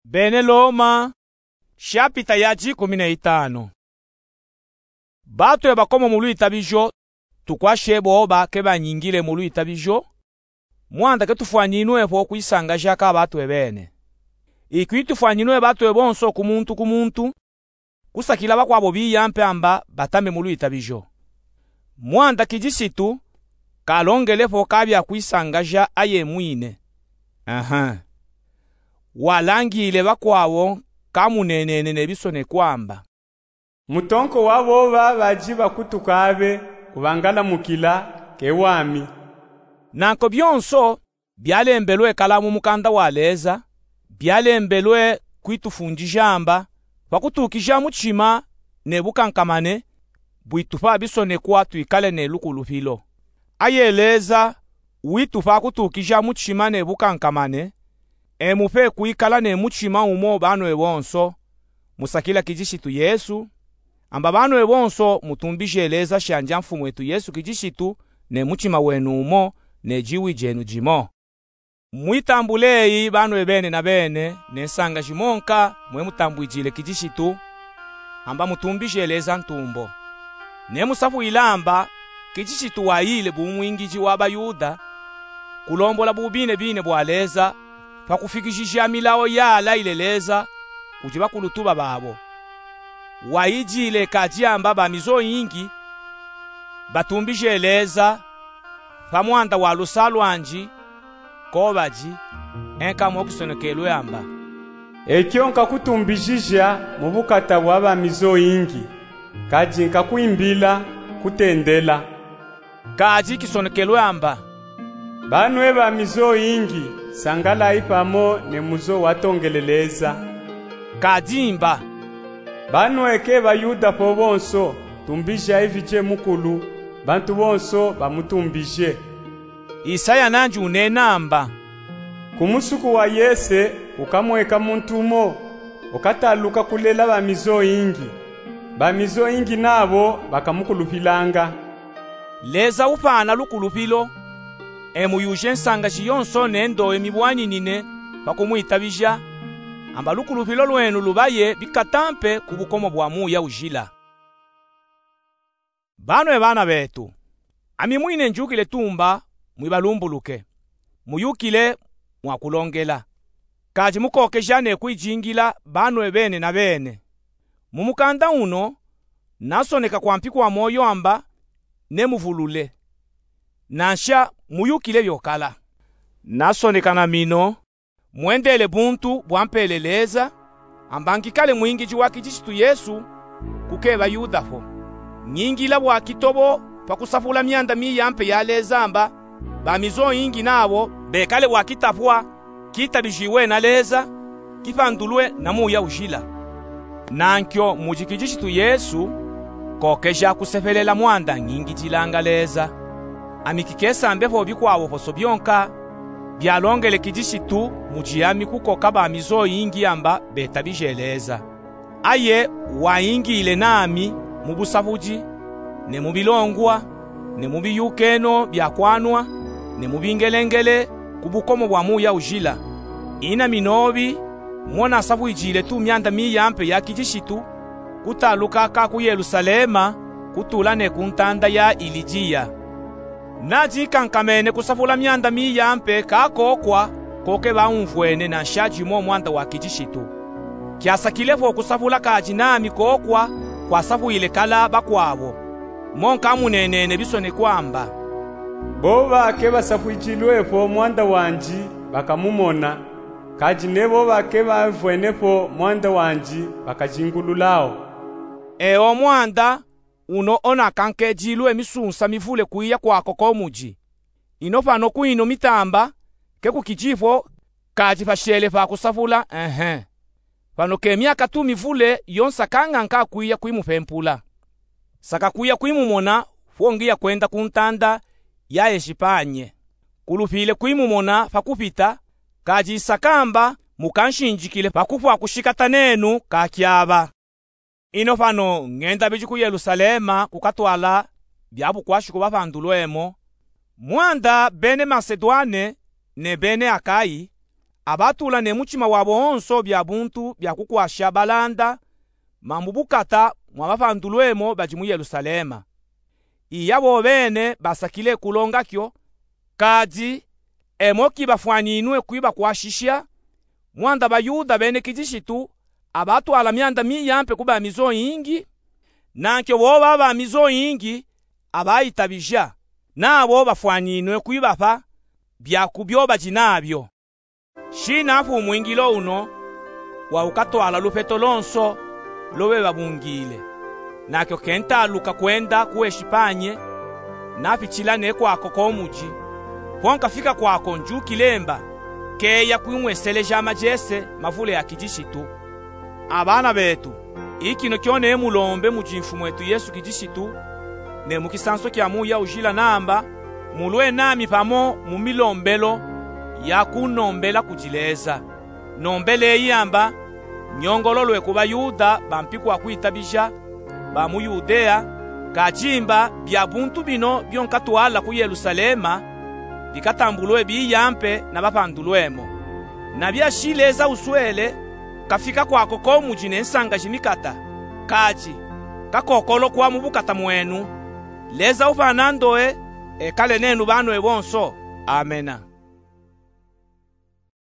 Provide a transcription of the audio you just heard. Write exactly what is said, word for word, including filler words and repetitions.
Bene Loma, shapita ya dikumi na itanu. Batu eba komo mu lwitabijo, tukwashi ebo bakeba nyingile mu lwitabijo, mwanda ketufwaninwe po kwisangaja ka batu ebene. Ikwi tufwaninwe batu ebonso ku muntu ku muntu, kusakila bakwabo biya mpe amba batame mu lwitabijo. Mwanda kijisitu kalongele po ka bya kwisangaja aye mwine. Aha. Walangile bakwabo ka munenene ne bisonekwa amba: Mutonko wa boba badi bakutuka abe, ubangalamukila, ke wami. Nanko byonso byalembelwe kala mu mukanda wa Leza, byalembelwe kwitufundija amba, pa kutukija mutima ne bukankamane, bwitupa bisonekwa twikale ne lukulupilo. Aye Leza witupa kutukija mutima ne bukankamane, e mupe kwikala ne mutima umo banwe bonso, musakila kijisitu Yesu, amba banwe bonso mutumbije Leza shanja Mfumwetu Yesu kijisitu ne mutima wenu umo, ne jiwi jenu jimo. Mwitambule eyi banwe bene na bene, ne nsanga jimonka mwe mutambwijile kijisitu, amba mutumbije Leza ntumbo. Ne musapwila amba kijisitu wayile bumwingiji wa baYuda, kulombola bubinebine bwa Leza, pa kufikijija milawo yalayile Leza kudi bakulutuba babo. Wayijile kadi amba bamizo yingi batumbije Leza pa mwanda wa lusa lwandi, ko badi, e nka mo kisonekelwe amba: Ekyo nkakutumbijija mu bukata bwa bamizo yingi, kadi nkakwimbila kutendela. Kadi kisonekelwe amba: Banwe bamizo yingi, sangalayi pamo ne muzo watongele Leza. Kadi mba: Banwe ke baYuda po bonso, tumbijayi Vidie Mukulu, bantu bonso bamutumbije. Isaya nandi unena amba: Ku musuku wa Yese ukamweka muntu umo, ukataluka kulela bamizo yingi. Bamizo yingi nabo bakamukulupilanga. Leza upana lukulupilo, e muyuje nsangaji yonso ne ndowe mibwaninine pa kumwitabija, amba lukulupilo lwenu lubaye bikata mpe ku bukomo bwa muya ujila. Banwe bana betu, ami mwine njukile tumba mwibalumbuluke, muyukile mwakulongela, kadi mukokeja ne kwijingila banwe bene na bene. Mu mukanda uno, nasoneka kwampi kwa moyo amba nemuvulule. Nansha muyukile byokala. Nasoneka na mino, mwendele buntu bwampele Leza, amba nkikale mwingiji wa kijisitu Yesu, kukeba Yuda po. Nyingila bwa kitobo pa kusapula myanda miya mpe ya Leza amba, bamizo yingi nabo bekale bwa kitapwa, kitabijiwe na Leza, kipandulwe na muya ujila. Nankyo mudi kijisitu Yesu, kokeja kusepelela mwanda nyingijilanga Leza. Ami kikesambe po bikwawo poso byonka, byalongele kijisitu mudi ami kukoka bamizo yingi amba betabije Leza. Aye wayingile nami mu busapudi, ne mu bilongwa, ne mu biyukeno bya kwanwa, ne mu bingelengele, ku bukomo bwa muya ujila. Ina minobi, mo nasapwijile tu myanda miya mpe ya kijisitu, kutaluka ka ku Yelusalema, kutula ne ku ntanda ya Ilidiya. Nadikankamene kusapula myanda miya mpe ka kokwa, koke baumvwene nansha dimo mwanda wa kijisitu. Kyasakile po kusapula kadi nami kokwa kwasapwile kala bakwabo. Mo nkamunenene bisonekwa amba: Boba ke basapwijilwe po mwanda wandi bakamumona, kadi ne boba ke bamvwene po mwanda wandi bakajingululawo. Ewo mwanda uno ona kankedilwe misunsa mivule kwiya kwako ko mudi. Ino pano kwino mitamba, ke kukidi po, kadi pashele pa kusapula, ehe. Pano ke myaka tu mivule yo nsakanga nkakwiya kwimupempula. Nsaka kwiya kwimumona po ngiya kwenda ku ntanda ya Ejipanye. Kulupile kwimumona pa kupita, kadi nsakamba mukanshinjikile pa kupwa kushikata nenu kakyaba. Ino pano ngenda bidi ku Yelusalema kukatwala bya bukwashi ku bapandulwemo, mwanda bene Masedwane ne bene Akayi, Abatula ne mutima wabo wonso bia buntu bia kukwasha balanda mambu bukata mwa bapandulwemo badi mu Yelusalema. Iya bobene basakile kulonga kyo, kadi emo ki bafwaninwe kwibakwashisha, mwanda baYuda bene kidishitu abatwala mianda miyampe ku bamizo yingi, nankyo bo baba bamizo yingi abaitabija, nabo bafwaninwe kwibapa bia ku byo badi nabyo. Shina fu mwingilo uno wa ukatwala lupeto lonso lo beba bungile. Nakyo kentaluka kwenda ku Eshipanye, napitila ne kwako ko muji. Mpo nkafika kwako njukile mba, keya kwimweseleja majese mavule a kidishitu. Abana betu, ikino kyo ne mulombe mudi Mfumwetu Yesu Kidishitu, ne mu kisanso kya Muya Ujila namba, mulwe nami pamo mu milombelo ya kunombela kudi Leza. Nombeleyi amba, nyongololwe ku baYuda bampi kwa kwitabija, ba mu Yudea, kadi mba bia buntu bino byo nkatwala ku Yelusalema, bikatambulwe biyampe na bapandulwemo. Na bia shi Leza uswele, kafika kwako ko muji ne nsanga jimikata, kadi kakokolokwa mu bukata mwenu. Leza upana ndowe, ekale nenu banwe bonso. Amena.